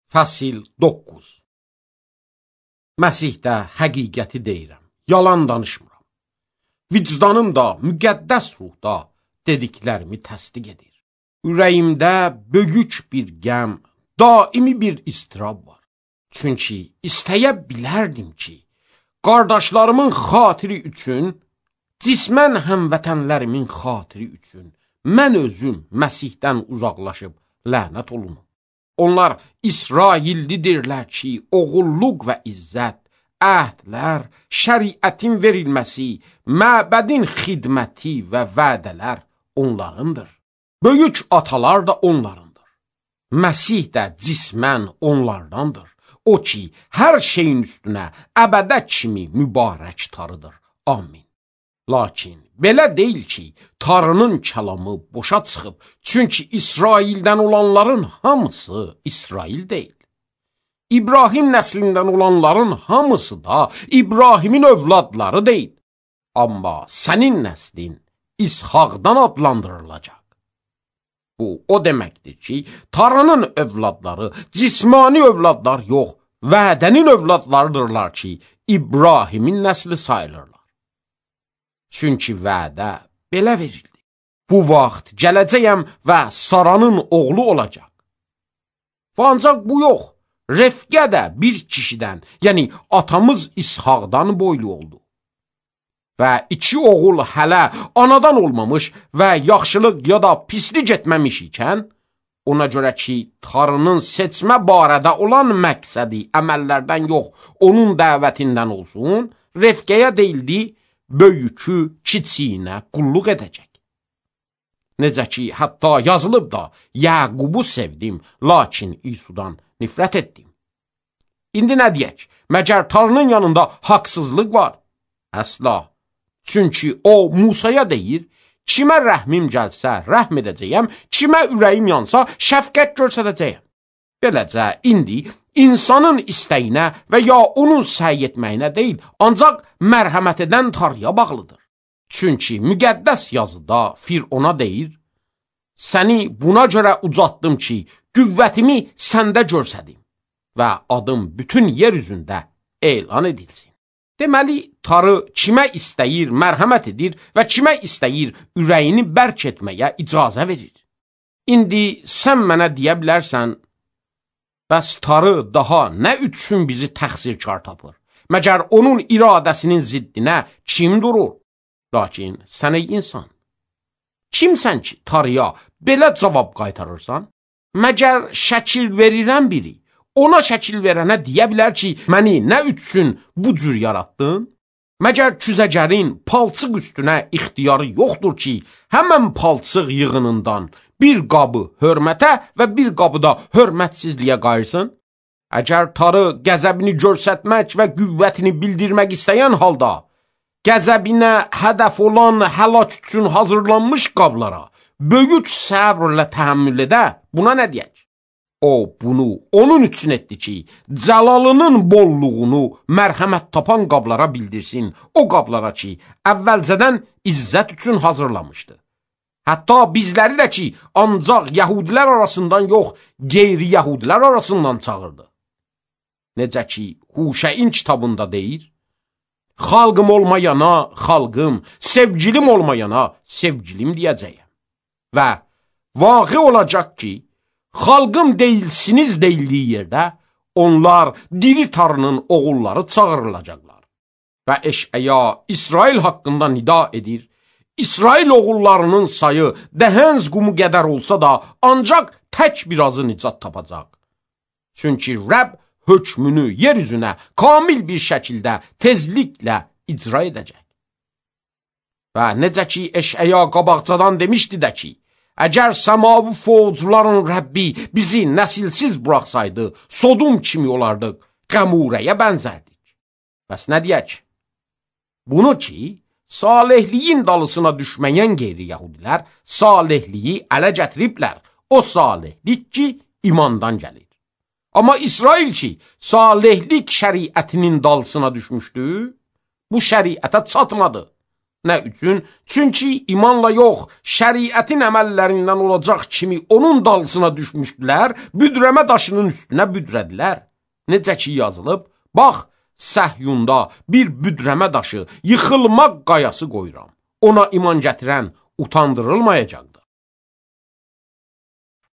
Fəsil 9. Məsihdə həqiqəti deyirəm, yalan danışmıram. Vicdanım da, müqəddəs ruhda dediklərimi təsdiq edir. Ürəyimdə böyük bir qəm, daimi bir istirab var. Çünki istəyə bilərdim ki, qardaşlarımın xatiri üçün, cismən həmvətənlərimin xatiri üçün mən özüm Məsihdən uzaqlaşıb lənət olunum. Onlar İsraillidirlər ki, oğulluq və izzət, əhdlər, şəriətin verilməsi, məbədin xidməti və vədələr onlarındır. Böyük atalar da onlarındır. Məsih də cismən onlardandır. O ki, hər şeyin üstünə əbədə kimi mübarək tarıdır. Amin. Lakin belə deyil ki, Tanrının kəlamı boşa çıxıb, çünki İsraildən olanların hamısı İsrail deyil. İbrahim nəslindən olanların hamısı da İbrahimin övladları deyil. Amma sənin nəslin İshaqdan adlandırılacaq. Bu, o deməkdir ki, Tanrının övladları cismani övladlar yox, vədənin övladlarıdırlar ki, İbrahimin nəsli sayılırlar. Çünki vədə belə verildi. Bu vaxt gələcəyəm və Saranın oğlu olacaq. Ancaq bu yox, Rifqə də bir kişidən, yəni atamız İshaqdan boylu oldu. Və iki oğul hələ anadan olmamış və yaxşılıq ya da pislik etməmiş ikən, ona görə ki, Tanrının seçmə barədə olan məqsədi əməllərdən yox, onun dəvətindən olsun, Rifqəyə deyildi, böyükü kiçiyinə qulluq edəcək. Necə ki, hətta yazılıb da, Yaqubu sevdim, lakin İsudan nifrət etdim. İndi nə deyək, məgər Tanrının yanında haqsızlıq var? Əsla. Çünki o Musaya deyir, kimə rəhmim gəlsə rəhm edəcəyəm, kimə ürəyim yansa şəfqət göstərəcəyəm. Beləcə, indi insanın istəyinə və ya onun səy etməyinə deyil, ancaq mərhəmət edən Tanrıya bağlıdır. Çünki müqəddəs yazıda Firona deyir, səni buna görə ucatdım ki, qüvvətimi səndə görsədim və adım bütün yer üzündə elan edilsin. Deməli, Tanrı kimə istəyir mərhəmət edir və kimə istəyir ürəyini bərk etməyə icazə verir. İndi sən mənə deyə bilərsən, bəs Tanrı daha nə üçün bizi təqsirkar tapır? Məgər onun iradəsinin ziddinə kim durur? Lakin sən ey insan, kimsən ki Tanrıya belə cavab qaytarırsan? Məgər şəkil verirən biri, ona şəkil verənə deyə bilər ki, məni nə üçün bu cür yaratdın? Məgər küzəcərin palçıq üstünə ixtiyarı yoxdur ki, həmən palçıq yığınından bir qabı hörmətə və bir qabı da hörmətsizliyə qayırsın? Əgər Tanrı qəzəbini göstərmək və qüvvətini bildirmək istəyən halda, qəzəbinə hədəf olan həlak üçün hazırlanmış qablara böyük səbrlə təhəmmül edə, buna nə deyək? O, bunu onun üçün etdi ki, cəlalının bolluğunu mərhəmət tapan qablara bildirsin, o qablara ki, əvvəlcədən izzət üçün hazırlamışdı. Hətta bizləri də ki, ancaq yəhudilər arasından yox, qeyri-yəhudilər arasından çağırdı. Necə ki, Huşəyin kitabında deyir, xalqım olmayana xalqım, sevgilim olmayana sevgilim deyəcəyəm. Və vaqe olacaq ki, xalqım deyilsiniz deyildiyi yerdə, onlar diri Tanrının oğulları çağırılacaqlar. Və Eşəya İsrail haqqında nida edir, İsrail oğullarının sayı dəhənz qumu qədər olsa da, ancaq tək birazı nicat tapacaq. Çünki Rəbb hökmünü yer üzünə kamil bir şəkildə tezliklə icra edəcək. Və necə ki, Eşəya qabaqcadan demişdi də ki, əgər səmavi fovcuların Rəbbi bizi nəsilsiz buraxsaydı, Sodom kimi olardıq, Qəmurəyə bənzərdik. Bəs nə deyək? Bunu ki, salihliyin dalısına düşməyən qeyri-yəhudilər salihliyi ələ gətiriblər. O salihlik ki, imandan gəlir. Amma İsrail ki, salihlik şəriətinin dalısına düşmüşdü, bu şəriətə çatmadı. Nə üçün? Çünki imanla yox, şəriətin əməllərindən olacaq kimi onun dalsına düşmüşdülər, büdrəmə daşının üstünə büdrədilər. Necə ki yazılıb, bax, Səhyunda bir büdrəmə daşı, yıxılmaq qayası qoyuram. Ona iman gətirən utandırılmayacaqdır.